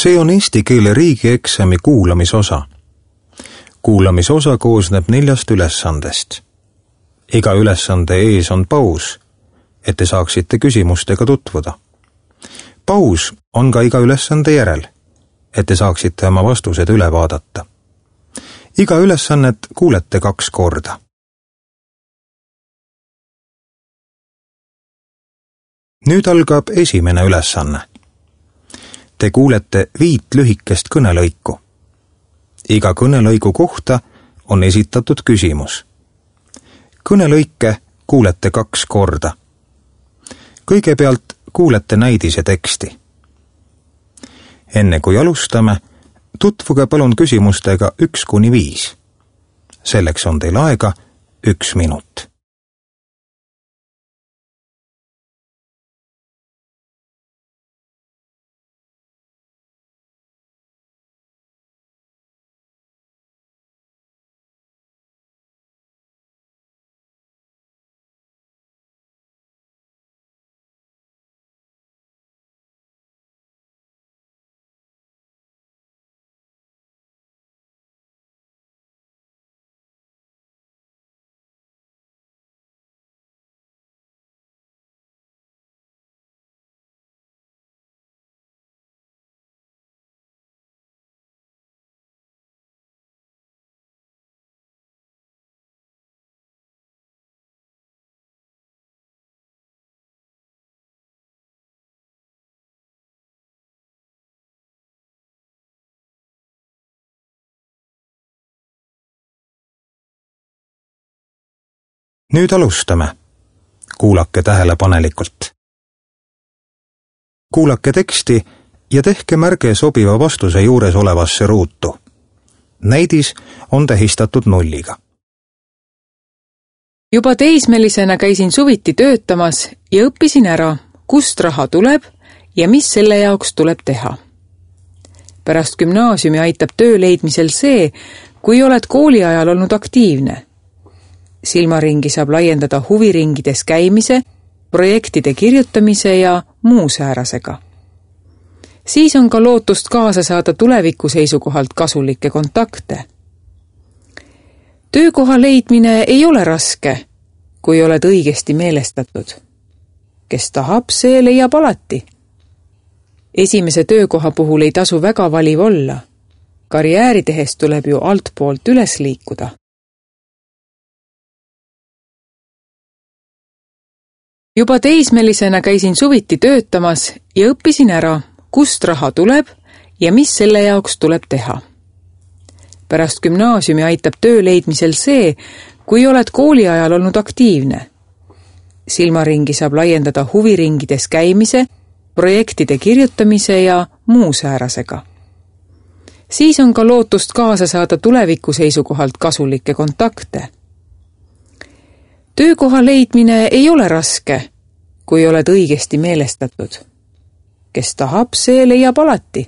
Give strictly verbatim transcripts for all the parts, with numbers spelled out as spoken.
See on eesti keele riigieksami kuulamisosa. Kuulamisosa koosneb neljast ülesandest. Iga ülesande ees on paus, et te saaksite küsimustega tutvuda. Paus on ka iga ülesande järel, et te saaksite oma vastused üle vaadata. Iga ülesannet kuulete kaks korda. Nüüd algab esimene ülesanne. Te kuulete viit lühikest kõnelõiku. Iga kõnelõigu kohta on esitatud küsimus. Kõnelõike kuulete kaks korda. Kõigepealt kuulete näidise teksti. Enne kui alustame, tutvuge palun küsimustega üks kuni viis. Selleks on teil aega üks minut. Nüüd alustame. Kuulake tähelepanelikult. Kuulake teksti ja tehke märge sobiva vastuse juures olevasse ruutu. Näidis on tähistatud nulliga. Juba teismelisena käisin suviti töötamas ja õppisin ära, kust raha tuleb ja mis selle jaoks tuleb teha. Pärast gümnaasiumi aitab töö leidmisel see, kui oled kooli ajal olnud aktiivne. Silmaringi saab laiendada huviringides käimise, projektide kirjutamise ja muu säärasega. Siis on ka lootust kaasa saada tuleviku seisukohalt kasulikke kontakte. Töökoha leidmine ei ole raske, kui oled õigesti meelestatud. Kes tahab, see leiab alati. Esimese töökoha puhul ei tasu väga valiv olla. Karjääri tehes tuleb ju altpoolt üles liikuda. Juba teismelisena käisin suviti töötamas ja õppisin ära, kust raha tuleb ja mis selle jaoks tuleb teha. Pärast gümnaasiumi aitab töö leidmisel see, kui oled kooli ajal olnud aktiivne. Silmaringi saab laiendada huviringides käimise, projektide kirjutamise ja muu säärasega. Siis on ka lootust kaasa saada tuleviku seisukohalt kasulikke kontakte. Töökoha leidmine ei ole raske, kui oled õigesti meelestatud. Kes tahab, see leiab alati.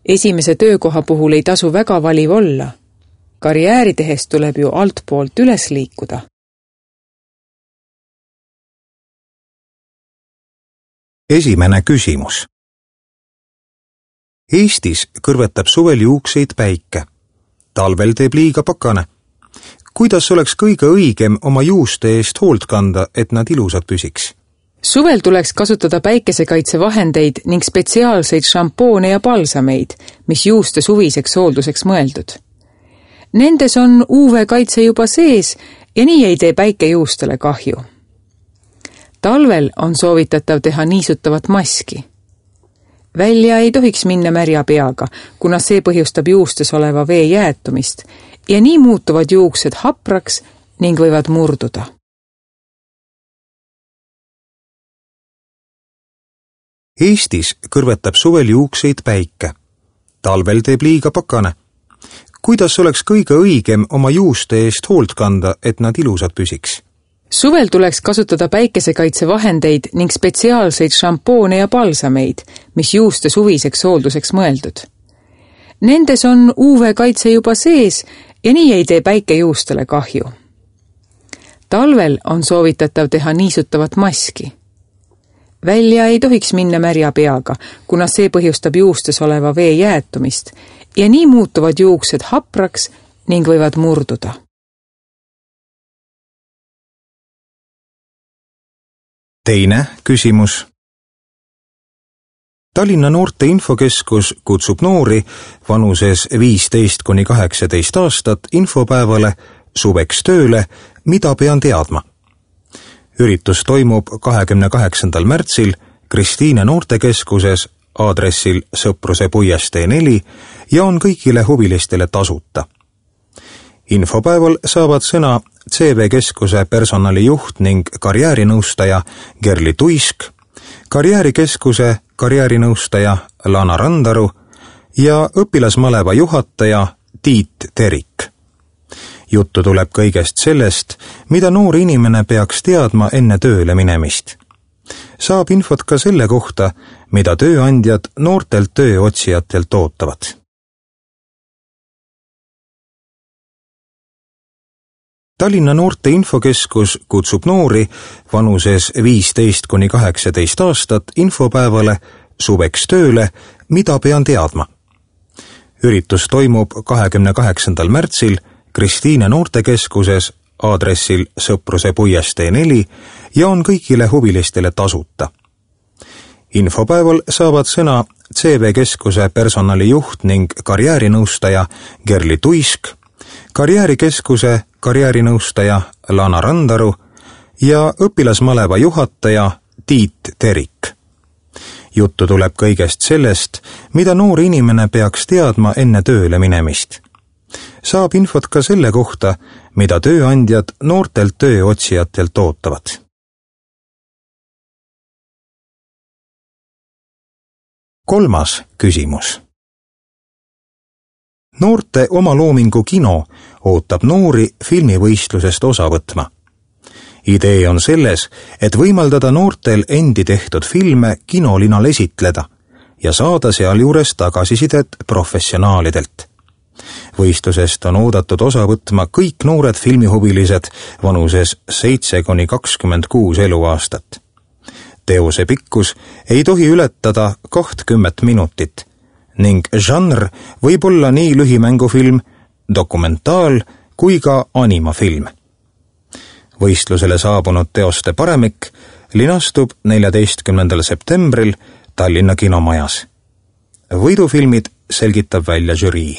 Esimese töökoha puhul ei tasu väga valiv olla. Karjääri tehes tuleb ju altpoolt üles liikuda. Esimene küsimus. Eestis kõrvetab suvel juukseid päike. Talvel teeb liiga pakane. Kuidas oleks kõige õigem oma juuste eest hoolt kanda, et nad ilusad püsiks? Suvel tuleks kasutada päikesekaitsevahendeid ning spetsiaalseid šampoone ja balsameid, mis juuste suviseks hoolduseks mõeldud. Nendes on U V-kaitse juba sees ja nii ei tee päike juustele kahju. Talvel on soovitatav teha niisutavat maski. Välja ei tohiks minna märja peaga, kuna see põhjustab juustes oleva vee jäätumist ja nii muutuvad juuksed hapraks ning võivad murduda. Eestis kõrvetab suvel juukseid päike. Talvel teeb liiga pakane. Kuidas oleks kõige õigem oma juuste eest hoolt kanda, et nad ilusad püsiks? Suvel tuleks kasutada päikesekaitsevahendeid ning spetsiaalseid šampoone ja balsameid, mis juuste suviseks hoolduseks mõeldud. Nendes on U V-kaitse juba sees ja nii ei tee päike juustele kahju. Talvel on soovitatav teha niisutavat maski. Välja ei tohiks minna märja peaga, kuna see põhjustab juustes oleva vee jäätumist ja nii muutuvad juuksed hapraks ning võivad murduda. Teine küsimus. Tallinna Noorte Infokeskus kutsub noori vanuses viisteist kuni kaheksateist aastat infopäevale suveks tööle, mida pean teadma. Üritus toimub kahekümne kaheksandal märtsil Kristiine noortekeskuses aadressil Sõpruse puiestee neli ja on kõigile huvilistele tasuta. Infopäeval saavad sõna C V Keskuse personalijuht ning karjäärinõustaja Gerli Tuisk, karjäärikeskuse karjäärinõustaja Lana Randaru ja õpilasmaleva juhataja Tiit Terik. Juttu tuleb kõigest sellest, mida noor inimene peaks teadma enne tööle minemist. Saab infot ka selle kohta, mida tööandjad noortelt tööotsijatelt ootavad. Tallinna Noorte Infokeskus kutsub noori vanuses viisteist kuni kaheksateist aastat infopäevale suveks tööle, mida pean teadma. Üritus toimub kahekümne kaheksandal märtsil Kristiine noortekeskuses aadressil Sõpruse puiestee neli ja on kõigile huvilistele tasuta. Infopäeval saavad sõna C V Keskuse personalijuht ning karjäärinõustaja Gerli Tuisk, karjäärikeskuse karjäärinõustaja Lana Randaru ja õpilasmaleva juhataja Tiit Terik. Juttu tuleb kõigest sellest, mida noor inimene peaks teadma enne tööle minemist. Saab infot ka selle kohta, mida tööandjad noortelt tööotsijatelt ootavad. Kolmas küsimus. Noorte omaloomingu kino ootab noori filmivõistlusest osa võtma. Idee on selles, et võimaldada noortel endi tehtud filme kinolinal esitleda ja saada sealjuures tagasisidet professionaalidelt. Võistlusest on oodatud osa võtma kõik noored filmihuvilised vanuses seitse kuni kakskümmend kuus eluaastat. Teose pikkus ei tohi ületada kakskümmend minutit ning žanr võib olla nii lühimängufilm, dokumentaal kui ka animafilm. Võistlusele saabunud teoste paremik linastub neljateistkümnendal septembril Tallinna kinomajas. Võidufilmid selgitab välja žürii.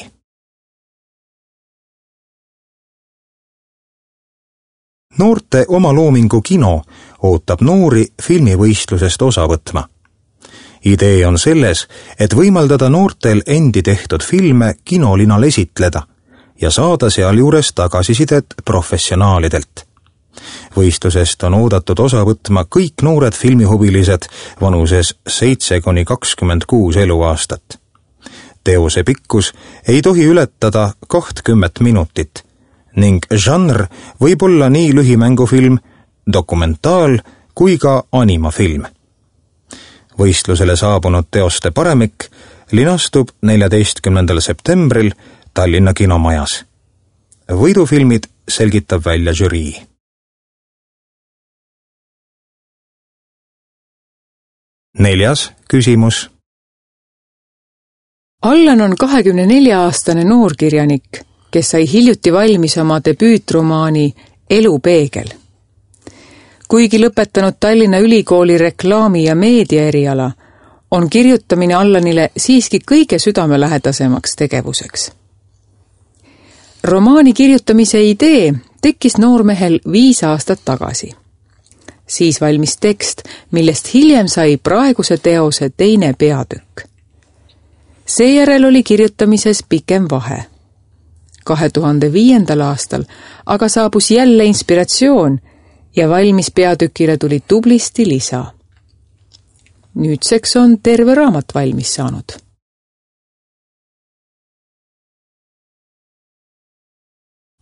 Noorte omaloomingu kino ootab noori filmivõistlusest osa võtma. Idee on selles, et võimaldada noortel endi tehtud filme kinolinal esitleda ja saada sealjuures tagasisidet professionaalidelt. Võistlusest on oodatud osa võtma kõik noored filmihuvilised vanuses seitse kuni kakskümmend kuus eluaastat. Teose pikkus ei tohi ületada kakskümmend minutit ning žanr võib olla nii lühimängufilm, dokumentaal kui ka animafilm. Võistlusele saabunud teoste paremik linastub neljateistkümnendal septembril Tallinna kinomajas. Võidufilmid selgitab välja žürii. Neljas küsimus. Allan on kahekümne nelja aastane noorkirjanik, kes sai hiljuti valmis oma debüütromaani Elu peegel. Kuigi lõpetanud Tallinna Ülikooli reklaami- ja meediaeriala, on kirjutamine Allanile siiski kõige südamelähedasemaks tegevuseks. Romaani kirjutamise idee tekkis noormehel viis aastat tagasi. Siis valmis tekst, millest hiljem sai praeguse teose teine peatükk. Seejärel oli kirjutamises pikem vahe. kahe tuhande viiendal aastal aga saabus jälle inspiratsioon ja valmis peatükile tuli tublisti lisa. Nüüdseks on terve raamat valmis saanud.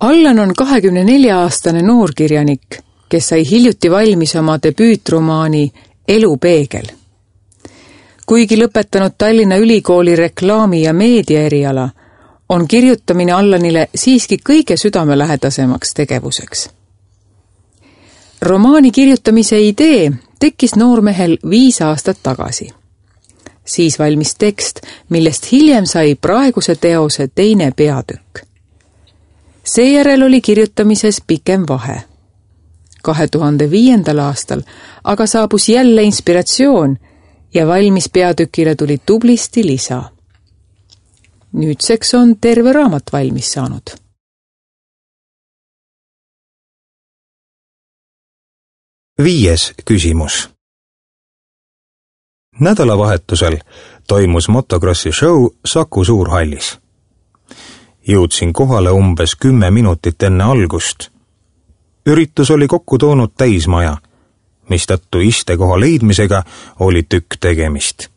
Allan on kahekümne nelja aastane noorkirjanik, kes sai hiljuti valmis oma debüütromaani Elu peegel. Kuigi lõpetanud Tallinna Ülikooli reklaami- ja meediaeriala, on kirjutamine Allanile siiski kõige südamelähedasemaks tegevuseks. Romaani kirjutamise idee tekkis noormehel viis aastat tagasi. Siis valmis tekst, millest hiljem sai praeguse teose teine peatükk. Seejärel oli kirjutamises pikem vahe. kahe tuhande viiendal aastal aga saabus jälle inspiratsioon ja valmis peatükile tuli tublisti lisa. Nüüdseks on terve raamat valmis saanud. Viies küsimus. Nädalavahetusel toimus motokrossi show Saku Suurhallis. Jõudsin kohale umbes kümme minutit enne algust. Üritus oli kokku toonud täismaja, mistõttu istekoha leidmisega oli tükk tegemist.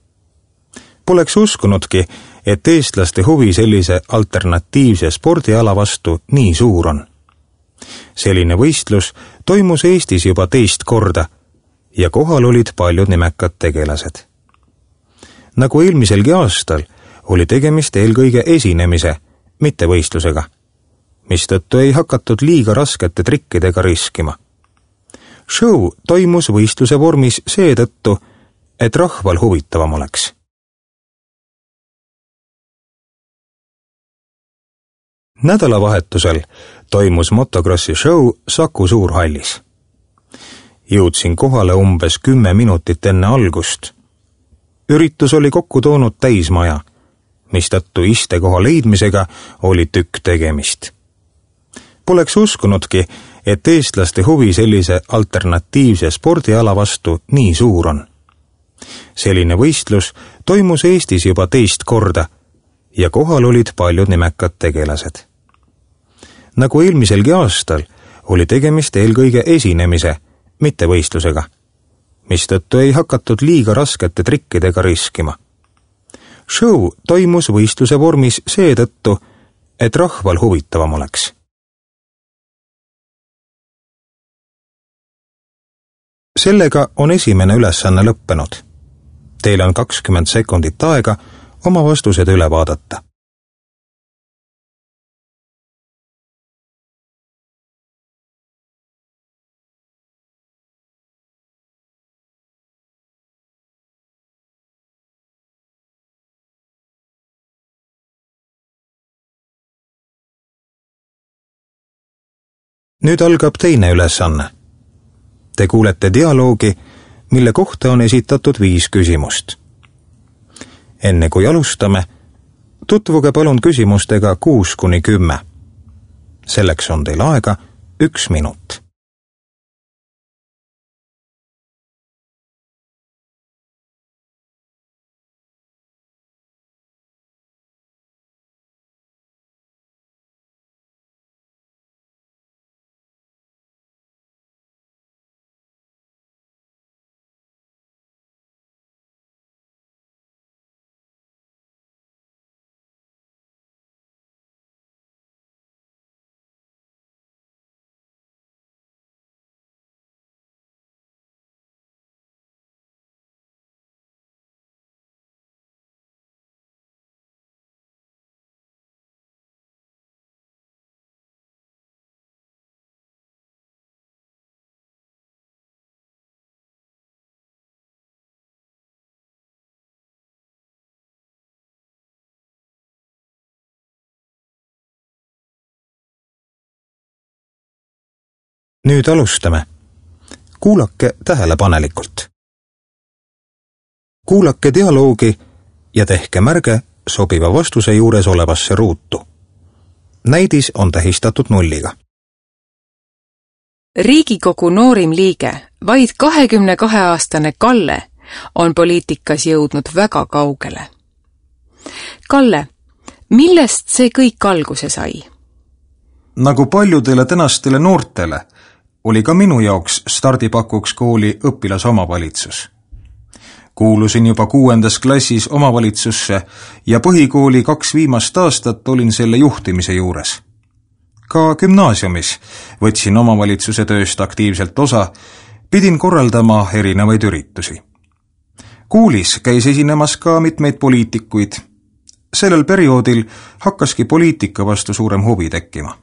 Poleks uskunudki, et eestlaste huvi sellise alternatiivse spordiala vastu nii suur on. Selline võistlus toimus Eestis juba teist korda ja kohal olid paljud nimekad tegelased. Nagu eelmiselgi aastal oli tegemist eelkõige esinemise, mitte võistlusega, mistõttu ei hakatud liiga raskete trikkidega riskima. Show toimus võistluse vormis seetõttu, et rahval huvitavam oleks. Nädalavahetusel toimus motokrossi show Saku Suurhallis. Jõudsin kohale umbes kümme minutit enne algust. Üritus oli kokku toonud täismaja, mistõttu istekoha leidmisega oli tükk tegemist. Poleks uskunudki, et eestlaste huvi sellise alternatiivse spordiala vastu nii suur on. Selline võistlus toimus Eestis juba teist korda ja kohal olid paljud nimekad tegelased. Nagu eelmiselgi aastal oli tegemist eelkõige esinemise, mitte võistlusega, mistõttu ei hakatud liiga raskete trikkidega riskima. Show toimus võistluse vormis seetõttu, et rahval huvitavam oleks. Sellega on esimene ülesanne lõppenud. Teil on kakskümmend sekundit aega oma vastused üle vaadata. Nüüd algab teine ülesanne. Te kuulete dialoogi, mille kohta on esitatud viis küsimust. Enne kui alustame, tutvuge palun küsimustega kuus kuni kümme. Selleks on teil aega üks minut. Nüüd alustame. Kuulake tähelepanelikult. Kuulake dialoogi ja tehke märge sobiva vastuse juures olevasse ruutu. Näidis on tähistatud nulliga. Riigikogu noorim liige, vaid kahekümne kahe aastane Kalle, on poliitikas jõudnud väga kaugele. Kalle, millest see kõik alguse sai? Nagu paljudele tänastele noortele oli ka minu jaoks stardipakuks kooli õpilasomavalitsus. Kuulusin juba kuuendas klassis omavalitsusse ja põhikooli kaks viimast aastat olin selle juhtimise juures. Ka gümnaasiumis võtsin omavalitsuse tööst aktiivselt osa, pidin korraldama erinevaid üritusi. Koolis käis esinemas ka mitmeid poliitikuid. Sellel perioodil hakkaski poliitika vastu suurem huvi tekkima.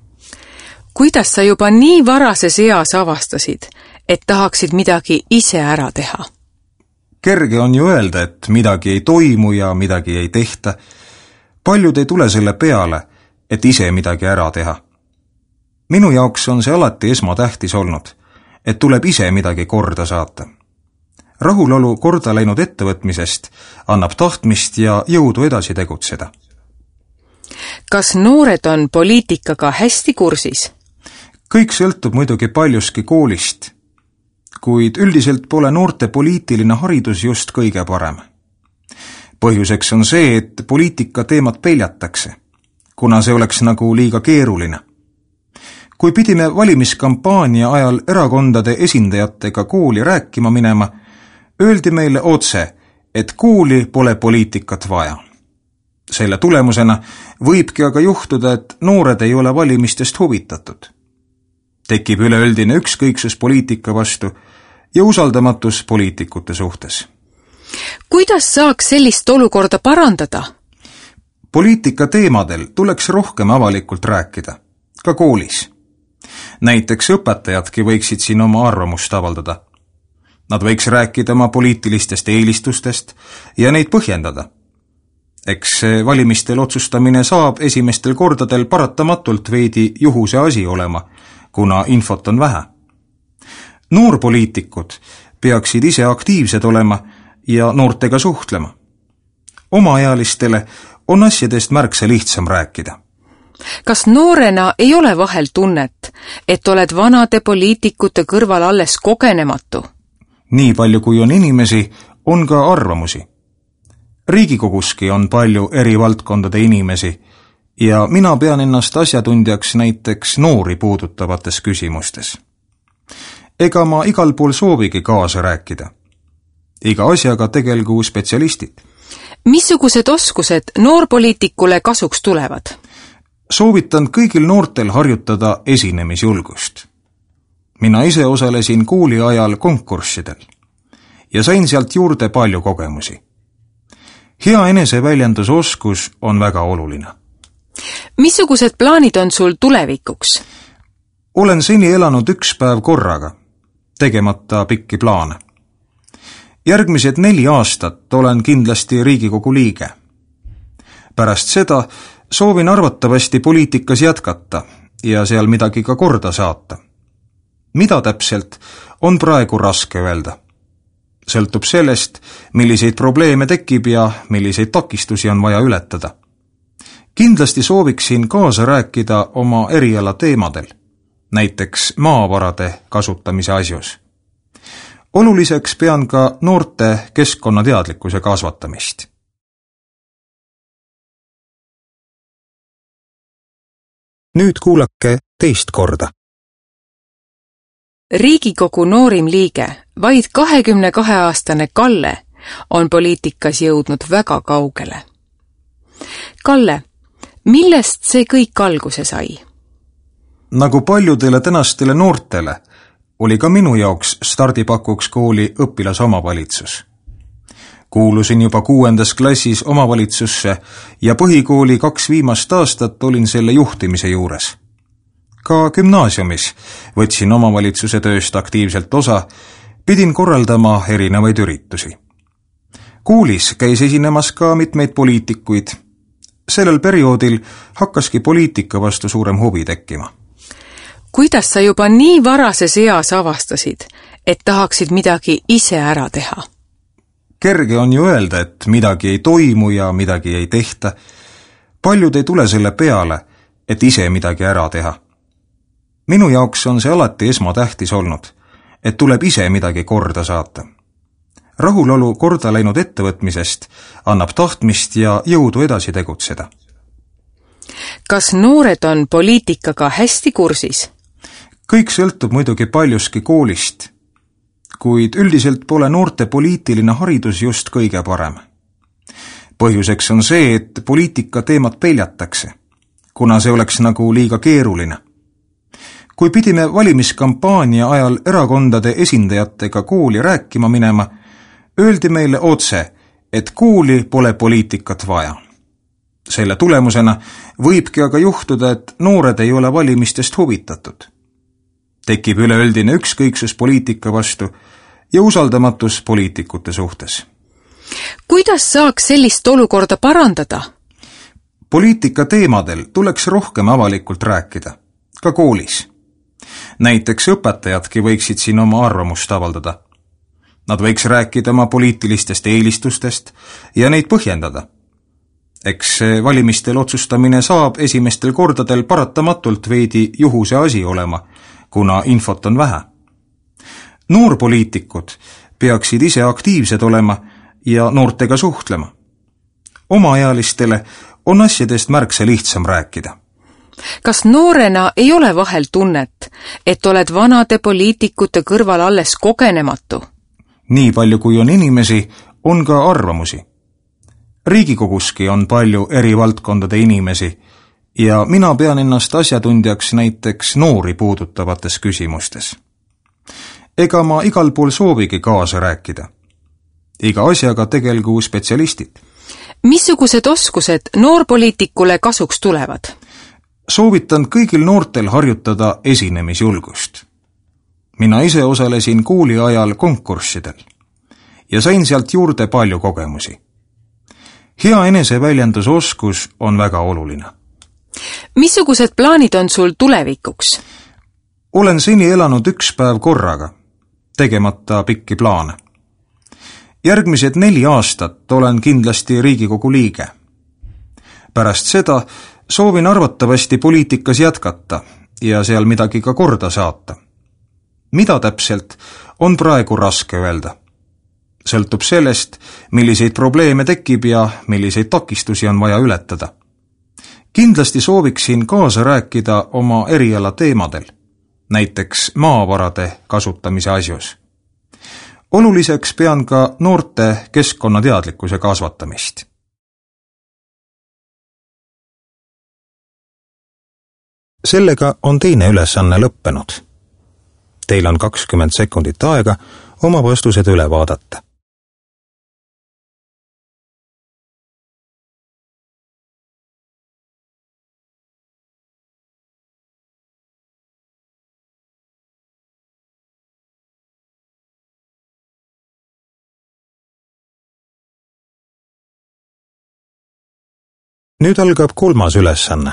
Kuidas sa juba nii varases eas avastasid, et tahaksid midagi ise ära teha? Kerge on ju öelda, et midagi ei toimu ja midagi ei tehta. Paljud ei tule selle peale, et ise midagi ära teha. Minu jaoks on see alati esmatähtis olnud, et tuleb ise midagi korda saata. Rahulolu korda läinud ettevõtmisest annab tahtmist ja jõudu edasi tegutseda. Kas noored on poliitikaga hästi kursis? Kõik sõltub muidugi paljuski koolist, kuid üldiselt pole noorte poliitiline haridus just kõige parem. Põhjuseks on see, et poliitika teemat peljatakse, kuna see oleks nagu liiga keeruline. Kui pidime valimiskampaania ajal erakondade esindajatega kooli rääkima minema, öeldi meile otse, et kooli pole poliitikat vaja. Selle tulemusena võibki aga juhtuda, et noored ei ole valimistest huvitatud. Tekib üleüldine ükskõiksus poliitika vastu ja usaldamatus poliitikute suhtes. Kuidas saaks sellist olukorda parandada? Poliitika teemadel tuleks rohkem avalikult rääkida, ka koolis. Näiteks õpetajadki võiksid siin oma arvamust avaldada. Nad võiks rääkida oma poliitilistest eelistustest ja neid põhjendada. Eks valimistel otsustamine saab esimestel kordadel paratamatult veidi juhuse asi olema, kuna infot on vähe. Noorpoliitikud peaksid ise aktiivsed olema ja noortega suhtlema. Omaealistele on asjadest märksa lihtsam rääkida. Kas noorena ei ole vahel tunnet, et oled vanade poliitikute kõrval alles kogenematu? Nii palju kui on inimesi, on ka arvamusi. Riigikoguski on palju eri valdkondade inimesi ja mina pean ennast asjatundjaks näiteks noori puudutavates küsimustes. Ega ma igal pool soovigi kaasa rääkida. Iga asjaga tegelgu spetsialistid. Missugused oskused noorpoliitikule kasuks tulevad? Soovitan kõigil noortel harjutada esinemisjulgust. Mina ise osalesin kooli ajal konkurssidel ja sain sealt juurde palju kogemusi. Hea eneseväljendusoskus on väga oluline. Missugused plaanid on sul tulevikuks? Olen seni elanud üks päev korraga, tegemata pikki plaane. Järgmised neli aastat olen kindlasti Riigikogu liige. Pärast seda soovin arvatavasti poliitikas jätkata ja seal midagi ka korda saata. Mida täpselt, on praegu raske öelda. Sõltub sellest, milliseid probleeme tekib ja milliseid takistusi on vaja ületada. Kindlasti sooviksin kaasa rääkida oma eriala teemadel, näiteks maavarade kasutamise asjus. Oluliseks pean ka noorte keskkonnateadlikkuse kasvatamist. Nüüd kuulake teist korda. Riigikogu noorim liige, vaid kahekümne kahe aastane Kalle, on poliitikas jõudnud väga kaugele. Kalle, millest see kõik alguse sai? Nagu paljudele tänastele noortele, oli ka minu jaoks stardipakuks kooli õpilasomavalitsus. Kuulusin juba kuuendas klassis omavalitsusse ja põhikooli kaks viimast aastat olin selle juhtimise juures. Ka gümnaasiumis võtsin omavalitsuse tööst aktiivselt osa, pidin korraldama erinevaid üritusi. Koolis käis esinemas ka mitmeid poliitikuid. Sellel perioodil hakkaski poliitika vastu suurem huvi tekkima. Kuidas sa juba nii varases eas avastasid, et tahaksid midagi ise ära teha? Kerge on ju öelda, et midagi ei toimu ja midagi ei tehta. Paljud ei tule selle peale, et ise midagi ära teha. Minu jaoks on see alati esmatähtis olnud, et tuleb ise midagi korda saata. Rahulolu korda läinud ettevõtmisest annab tahtmist ja jõudu edasi tegutseda. Kas noored on poliitikaga hästi kursis? Kõik sõltub muidugi paljuski koolist, kuid üldiselt pole noorte poliitiline haridus just kõige parem. Põhjuseks on see, et poliitika teemat peljatakse, kuna see oleks nagu liiga keeruline. Kui pidime valimiskampaania ajal erakondade esindajatega kooli rääkima minema, öeldi meile otse, et kooli pole poliitikat vaja. Selle tulemusena võibki aga juhtuda, et noored ei ole valimistest huvitatud. tekib üleüldine ükskõiksus poliitika vastu ja usaldamatus poliitikute suhtes. Kuidas saaks sellist olukorda parandada? Poliitika teemadel tuleks rohkem avalikult rääkida, ka koolis. Näiteks õpetajadki võiksid siin oma arvamust avaldada. Nad võiks rääkida oma poliitilistest eelistustest ja neid põhjendada. Eks valimistel otsustamine saab esimestel kordadel paratamatult veidi juhuse asi olema, kuna infot on vähe. Noorpoliitikud peaksid ise aktiivsed olema ja noortega suhtlema. Omaealistele on asjadest märksa lihtsam rääkida. Kas noorena ei ole vahel tunnet, et oled vanade poliitikute kõrval alles kogenematu? Nii palju kui on inimesi, on ka arvamusi. Riigikoguski on palju eri valdkondade inimesi ja mina pean ennast asjatundjaks näiteks noori puudutavates küsimustes. Ega ma igal pool soovigi kaasa rääkida. Iga asjaga tegelgu spetsialistid. Missugused oskused noorpoliitikule kasuks tulevad? Soovitan kõigil noortel harjutada esinemisjulgust. Mina ise osalesin kooli ajal konkurssidel ja sain sealt juurde palju kogemusi. Hea eneseväljendusoskus on väga oluline. Missugused plaanid on sul tulevikuks? Olen seni elanud üks päev korraga, tegemata pikki plaane. Järgmised neli aastat olen kindlasti Riigikogu liige. Pärast seda soovin arvatavasti poliitikas jätkata ja seal midagi ka korda saata. Mida täpselt, on praegu raske öelda. Sõltub sellest, milliseid probleeme tekib ja milliseid takistusi on vaja ületada. Kindlasti sooviksin kaasa rääkida oma eriala teemadel, näiteks maavarade kasutamise asjus. Oluliseks pean ka noorte keskkonnateadlikkuse kasvatamist. Sellega on teine ülesanne lõppenud. Teil on kakskümmend sekundit aega oma vastused üle vaadata. Nüüd algab kolmas ülesanne.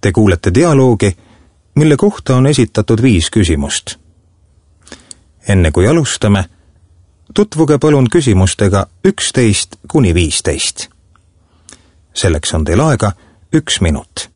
Te kuulete dialoogi, mille kohta on esitatud viis küsimust. Enne kui alustame, tutvuge palun küsimustega üksteist kuni viisteist. Selleks on teil aega üks minut.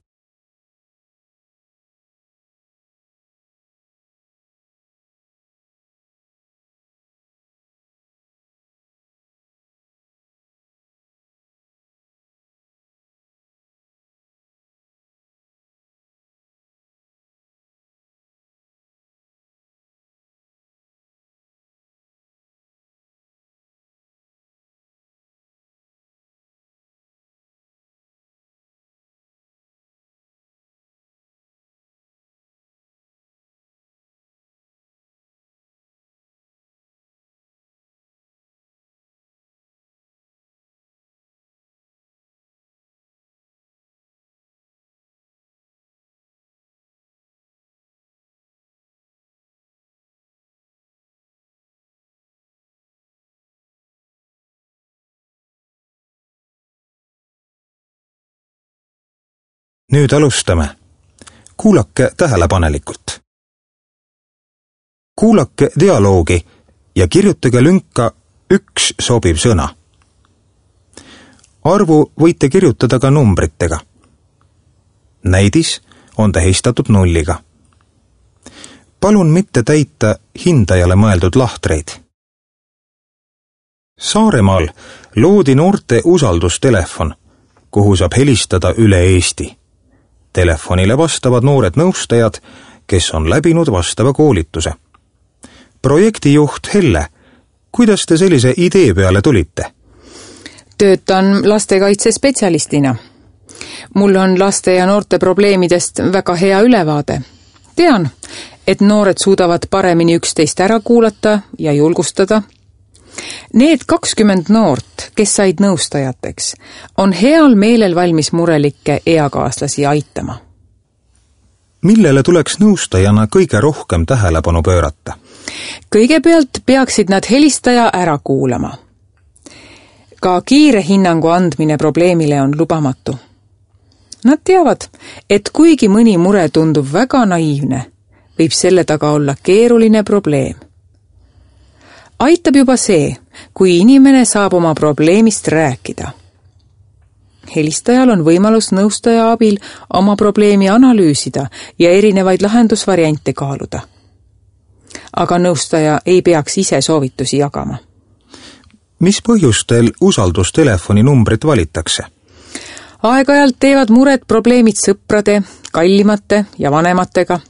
Nüüd alustame. Kuulake tähelepanelikult. Kuulake dialoogi ja kirjutage lünka üks sobiv sõna. Arvu võite kirjutada ka numbritega. Näidis on tähistatud nulliga. Palun mitte täita hindajale mõeldud lahtreid. Saaremaal loodi noorte usaldustelefon, kuhu saab helistada üle Eesti. Telefonile vastavad noored nõustajad, kes on läbinud vastava koolituse. Projektijuht Helle, kuidas te sellise idee peale tulite? Töötan lastekaitsespetsialistina. Mul on laste ja noorte probleemidest väga hea ülevaade. Tean, et noored suudavad paremini üksteist ära kuulata ja julgustada. Need kakskümmend noort, kes said nõustajateks, on heal meelel valmis murelikke eakaaslasi aitama. millele tuleks nõustajana kõige rohkem tähelepanu pöörata? Kõigepealt peaksid nad helistaja ära kuulama. Ka kiire hinnangu andmine probleemile on lubamatu. Nad teavad, et kuigi mõni mure tundub väga naiivne, võib selle taga olla keeruline probleem. Aitab juba see, kui inimene saab oma probleemist rääkida. Helistajal on võimalus nõustaja abil oma probleemi analüüsida ja erinevaid lahendusvariante kaaluda. Aga nõustaja ei peaks ise soovitusi jagama. Mis põhjustel usaldustelefoni numbrit valitakse? Aeg-ajalt teevad mured probleemid sõprade, kallimate ja vanematega.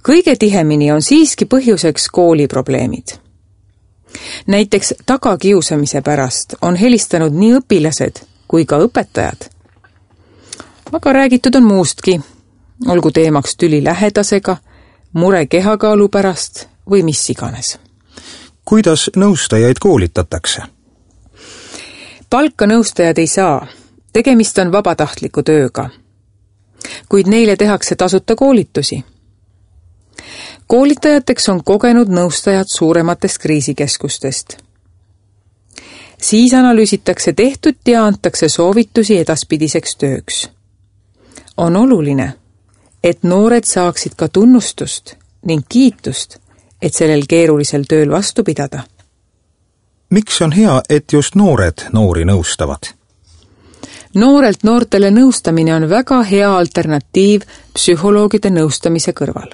Kõige tihemini on siiski põhjuseks kooliprobleemid. Näiteks tagakiusamise pärast on helistanud nii õpilased kui ka õpetajad. Aga räägitud on muustki, olgu teemaks tüli lähedasega, mure kehakaalu pärast või mis iganes. Kuidas nõustajaid koolitatakse? Palka nõustajad ei saa, tegemist on vabatahtliku tööga, kuid neile tehakse tasuta koolitusi. Koolitajateks on kogenud nõustajad suurematest kriisikeskustest. Siis analüüsitakse tehtud ja antakse soovitusi edaspidiseks tööks. On oluline, et noored saaksid ka tunnustust ning kiitust, et sellel keerulisel tööl vastu pidada. Miks on hea, et just noored noori nõustavad? Noorelt noortele nõustamine on väga hea alternatiiv psühholoogide nõustamise kõrval.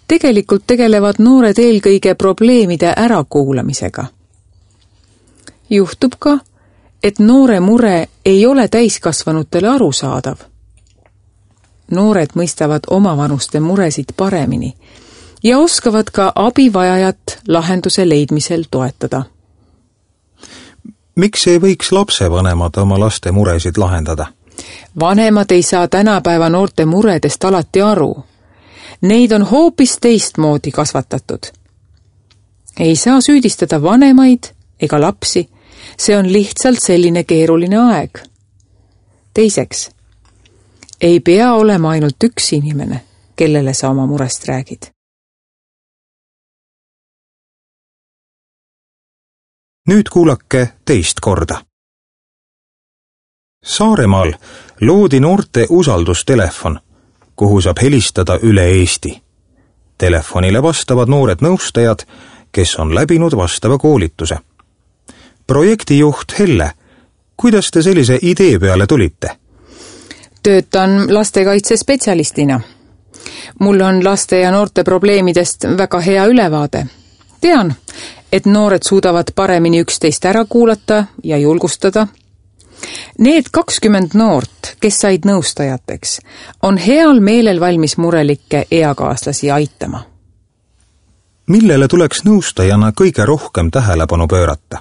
Tegelikult tegelevad noored eelkõige probleemide ärakuulamisega. Juhtub ka, et noore mure ei ole täiskasvanutele arusaadav. Noored mõistavad omavanuste muresid paremini ja oskavad ka abivajajat lahenduse leidmisel toetada. Miks ei võiks lapsevanemad oma laste muresid lahendada? Vanemad ei saa tänapäeva noorte muredest alati aru. Neid on hoopis teistmoodi kasvatatud. Ei saa süüdistada vanemaid ega lapsi, see on lihtsalt selline keeruline aeg. Teiseks, ei pea olema ainult üks inimene, kellele sa oma murest räägid. Nüüd kuulake teist korda. Saaremaal loodi noorte usaldustelefon, kuhu saab helistada üle Eesti. Telefonile vastavad noored nõustajad, kes on läbinud vastava koolituse. Projektijuht Helle, kuidas te sellise idee peale tulite? Töötan lastekaitsespetsialistina. Mul on laste ja noorte probleemidest väga hea ülevaade. Tean, et noored suudavad paremini üksteist ära kuulata ja julgustada. Need kakskümmend noort, kes said nõustajateks, on heal meelel valmis murelikke eakaaslasi aitama. Millele tuleks nõustajana kõige rohkem tähelepanu pöörata?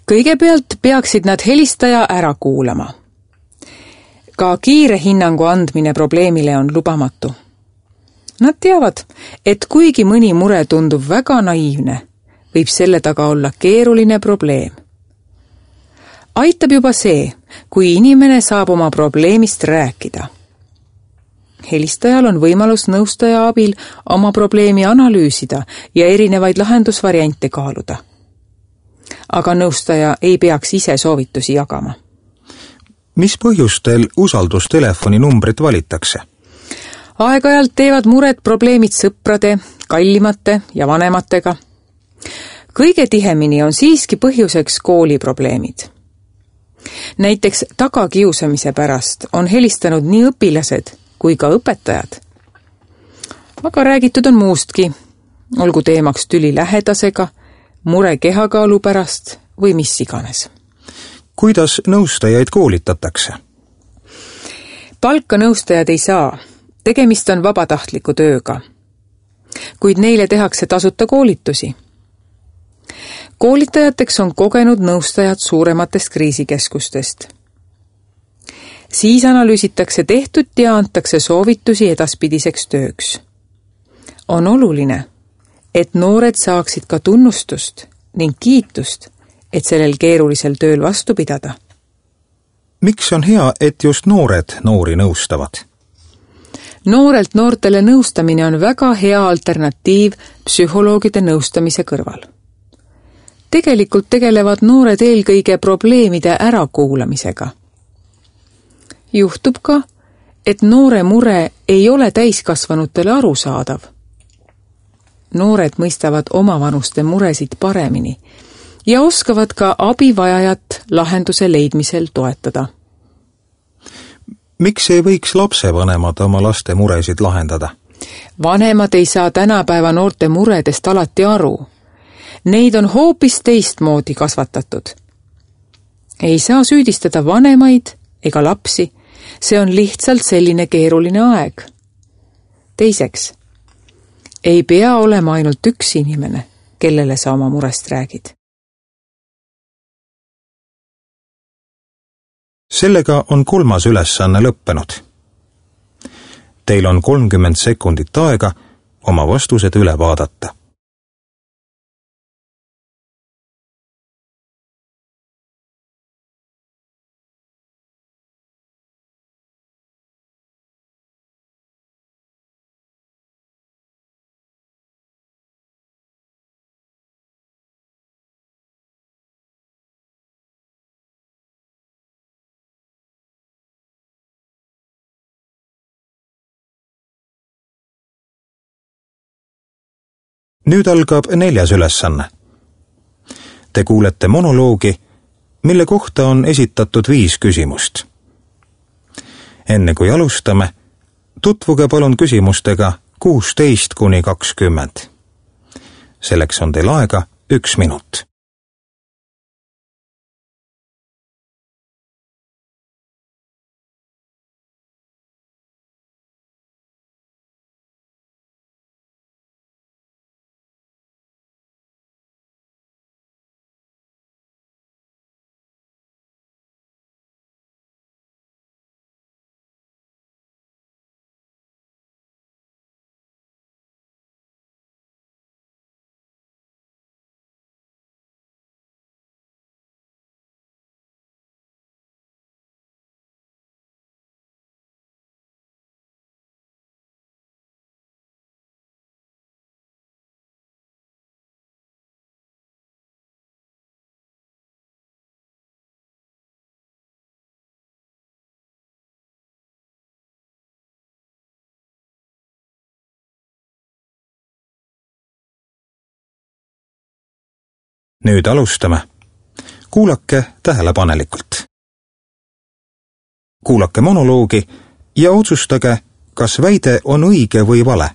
Kõigepealt peaksid nad helistaja ära kuulama. Ka kiire hinnangu andmine probleemile on lubamatu. Nad teavad, et kuigi mõni mure tundub väga naiivne, võib selle taga olla keeruline probleem. Aitab juba see, kui inimene saab oma probleemist rääkida. Helistajal on võimalus nõustaja abil oma probleemi analüüsida ja erinevaid lahendusvariante kaaluda. Aga nõustaja ei peaks ise soovitusi jagama. Mis põhjustel usaldustelefoni numbrit valitakse? Aeg-ajalt teevad mured probleemid sõprade, kallimate ja vanematega. Kõige tihemini on siiski põhjuseks kooliprobleemid. Näiteks tagakiusamise pärast on helistanud nii õpilased kui ka õpetajad. Aga räägitud on muustki, olgu teemaks tüli lähedasega, mure kehakaalu pärast või mis iganes. Kuidas nõustajaid koolitatakse? Palka nõustajad ei saa, tegemist on vabatahtliku tööga, kuid neile tehakse tasuta koolitusi. Koolitajateks on kogenud nõustajad suurematest kriisikeskustest. Siis analüüsitakse tehtud ja antakse soovitusi edaspidiseks tööks. On oluline, et noored saaksid ka tunnustust ning kiitust, et sellel keerulisel tööl vastu pidada. Miks on hea, et just noored noori nõustavad? Noorelt noortele nõustamine on väga hea alternatiiv psühholoogide nõustamise kõrval. Tegelikult tegelevad noored eelkõige probleemide ärakuulamisega. Juhtub ka, et noore mure ei ole täiskasvanutele arusaadav. Noored mõistavad omavanuste muresid paremini ja oskavad ka abivajajat lahenduse leidmisel toetada. Miks ei võiks lapsevanemad oma laste muresid lahendada? Vanemad ei saa tänapäeva noorte muredest alati aru. Neid on hoopis teistmoodi kasvatatud. Ei saa süüdistada vanemaid ega lapsi, see on lihtsalt selline keeruline aeg. Teiseks, ei pea olema ainult üks inimene, kellele sa oma murest räägid. Sellega on kolmas ülesanne lõppenud. Teil on kolmkümmend sekundit aega oma vastused üle vaadata. Nüüd algab neljas ülesanne. Te kuulete monoloogi, mille kohta on esitatud viis küsimust. Enne kui alustame, tutvuge palun küsimustega kuusteist kuni kakskümmend. Selleks on teil aega üks minut. Nüüd alustame. Kuulake tähelepanelikult. Kuulake monoloogi ja otsustage, kas väide on õige või vale.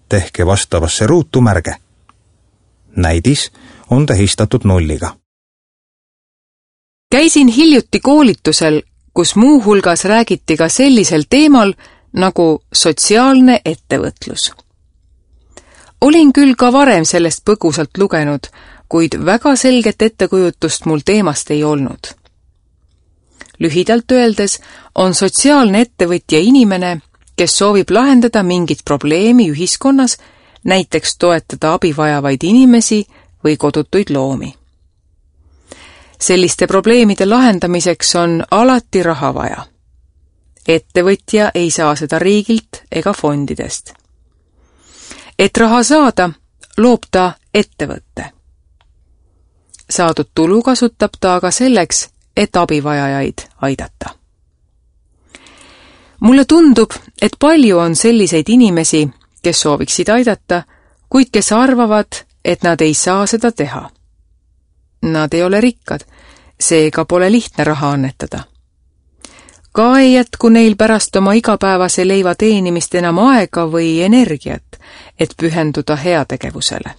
Tehke vastavasse ruutu märge. Näidis on tähistatud nulliga. Käisin hiljuti koolitusel, kus muu hulgas räägiti ka sellisel teemal nagu sotsiaalne ettevõtlus. Olin küll ka varem sellest põgusalt lugenud, kuid väga selget ettekujutust mul teemast ei olnud. Lühidalt öeldes on sotsiaalne ettevõtja inimene, kes soovib lahendada mingit probleemi ühiskonnas, näiteks toetada abivajavaid inimesi või kodutuid loomi. Selliste probleemide lahendamiseks on alati raha vaja. Ettevõtja ei saa seda riigilt ega fondidest. Et raha saada, loob ta ettevõtte. Saadud tulu kasutab ta aga selleks, et abivajajaid aidata. Mulle tundub, et palju on selliseid inimesi, kes sooviksid aidata, kuid kes arvavad, et nad ei saa seda teha. Nad ei ole rikkad, seega pole lihtne raha annetada. Ka ei jätku neil pärast oma igapäevase leiva teenimist enam aega või energiat, et pühenduda heategevusele.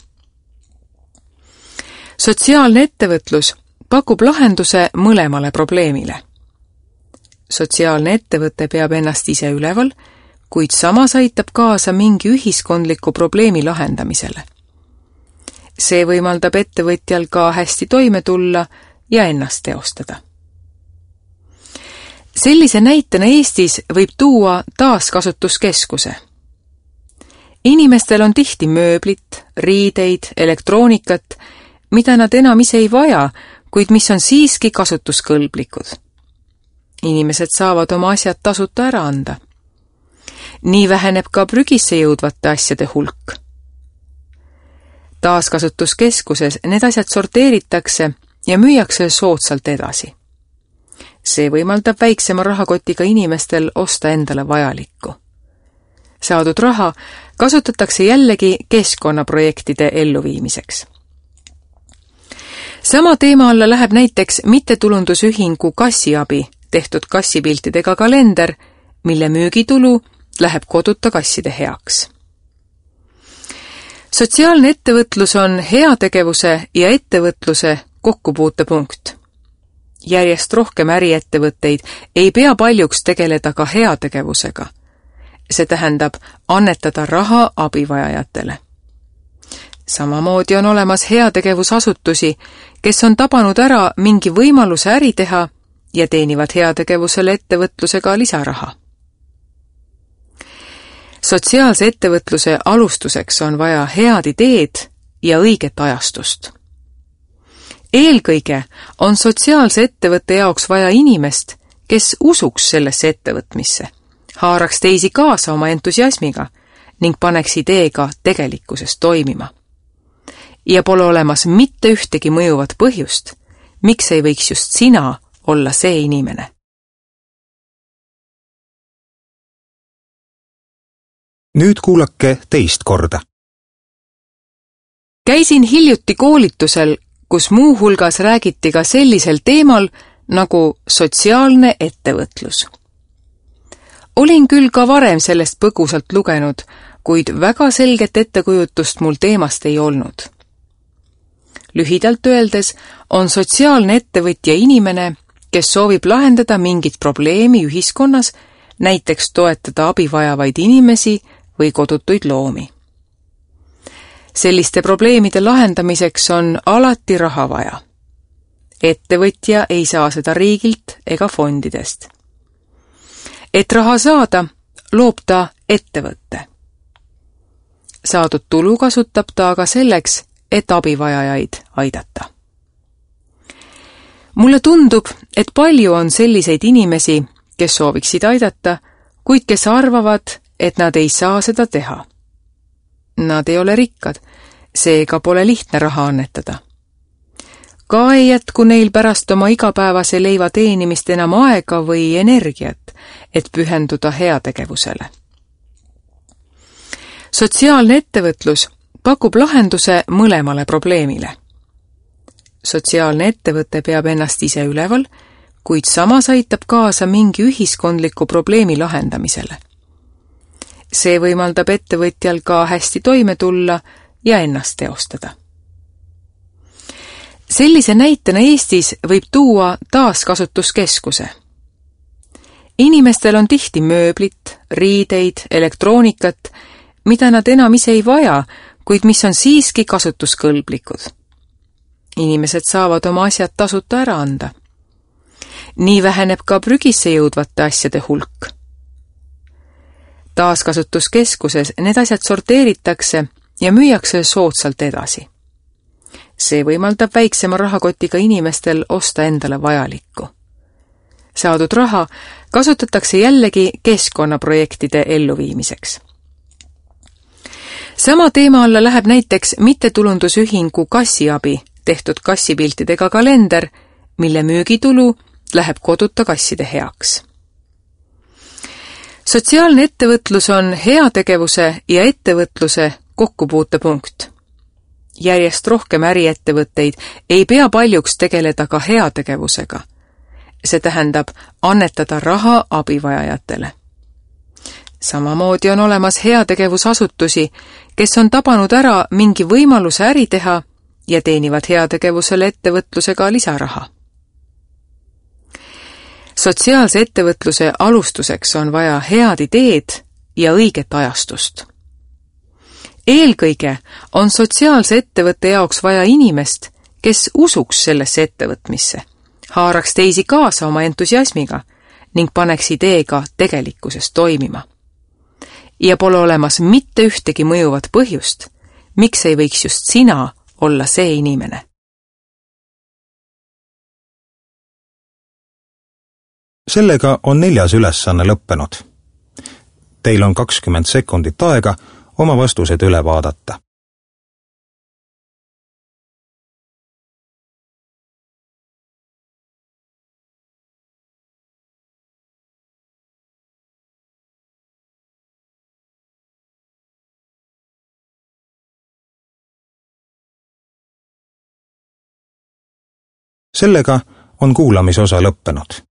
Sotsiaalne ettevõtlus pakub lahenduse mõlemale probleemile. Sotsiaalne ettevõte peab ennast ise üleval, kuid samas aitab kaasa mingi ühiskondliku probleemi lahendamisele. See võimaldab ettevõtjal ka hästi toime tulla ja ennast teostada. Sellise näitena Eestis võib tuua taaskasutuskeskuse. Inimestel on tihti mööblit, riideid, elektroonikat, mida nad enam ise ei vaja, kuid mis on siiski kasutuskõlblikud. Inimesed saavad oma asjad tasuta ära anda. nii väheneb ka prügisse jõudvate asjade hulk. Taaskasutuskeskuses need asjad sorteeritakse ja müüakse soodsalt edasi. See võimaldab väiksema rahakotiga inimestel osta endale vajalikku. Saadud raha kasutatakse jällegi keskkonnaprojektide elluviimiseks. Sama teema alla läheb näiteks mittetulundusühingu Kassiabi tehtud kassipiltidega kalender, mille müügitulu läheb koduta kasside heaks. Sotsiaalne ettevõtlus on heategevuse ja ettevõtluse kokkupuutepunkt. Järjest rohkem äriettevõtteid ei pea paljuks tegeleda ka heategevusega. See tähendab annetada raha abivajajatele. Samamoodi on olemas heategevusasutusi, kes on tabanud ära mingi võimaluse äri teha ja teenivad heategevusele ettevõtlusega lisaraha. Sotsiaalse ettevõtluse alustuseks on vaja head ideed ja õiget ajastust. Eelkõige on sotsiaalse ettevõtte jaoks vaja inimest, kes usuks sellesse ettevõtmisse, haaraks teisi kaasa oma entusiasmiga ning paneks ideega tegelikkuses toimima. Ja pole olemas mitte ühtegi mõjuvat põhjust, miks ei võiks just sina olla see inimene. Nüüd kuulake teist korda. Käisin hiljuti koolitusel, kus muu hulgas räägiti ka sellisel teemal nagu sotsiaalne ettevõtlus. Olin küll ka varem sellest põgusalt lugenud, kuid väga selget ettekujutust mul teemast ei olnud. Lühidalt öeldes on sotsiaalne ettevõtja inimene, kes soovib lahendada mingit probleemi ühiskonnas, näiteks toetada abivajavaid inimesi või kodutuid loomi. Selliste probleemide lahendamiseks on alati raha vaja. Ettevõtja ei saa seda riigilt ega fondidest. Et raha saada, loob ta ettevõtte. Saadud tulu kasutab ta aga selleks, et abivajajaid aidata. Mulle tundub, et palju on selliseid inimesi, kes sooviksid aidata, kuid kes arvavad, et nad ei saa seda teha. Nad ei ole rikkad, seega pole lihtne raha annetada. Ka ei jätku neil pärast oma igapäevase leiva teenimist enam aega või energiat, et pühenduda heategevusele. Sotsiaalne ettevõtlus pakub lahenduse mõlemale probleemile. Sotsiaalne ettevõte peab ennast ise üleval, kuid samas aitab kaasa mingi ühiskondliku probleemi lahendamisele. See võimaldab ettevõtjal ka hästi toime tulla ja ennast teostada. Sellise näitena Eestis võib tuua taaskasutuskeskuse. Inimestel on tihti mööblit, riideid, elektroonikat, mida nad enam ise ei vaja, kuid mis on siiski kasutuskõlblikud. Inimesed saavad oma asjad tasuta ära anda. Nii väheneb ka prügisse jõudvate asjade hulk. Taaskasutuskeskuses need asjad sorteeritakse ja müüakse soodsalt edasi. See võimaldab väiksema rahakotiga inimestel osta endale vajalikku. Saadud raha kasutatakse jällegi keskkonnaprojektide elluviimiseks. Sama teema alla läheb näiteks mittetulundusühingu Kassiabi tehtud kassipiltidega kalender, mille müügitulu läheb koduta kasside heaks. Sotsiaalne ettevõtlus on heategevuse ja ettevõtluse kokkupuutepunkt. Järjest rohkem äriettevõtteid ei pea paljuks tegeleda ka heategevusega. See tähendab annetada raha abivajajatele. Samamoodi on olemas heategevusasutusi, kes on tabanud ära mingi võimaluse äri teha ja teenivad heategevusele ettevõtlusega lisaraha. Sotsiaalse ettevõtluse alustuseks on vaja head ideed ja õiget ajastust. Eelkõige on sotsiaalse ettevõtte jaoks vaja inimest, kes usuks sellesse ettevõtmisse, haaraks teisi kaasa oma entusiasmiga ning paneks ideega tegelikkuses toimima. Ja pole olemas mitte ühtegi mõjuvat põhjust, miks ei võiks just sina olla see inimene. Sellega on neljas ülesanne lõppenud. Teil on kakskümmend sekundit aega oma vastused üle vaadata. Sellega on kuulamisosa lõppenud.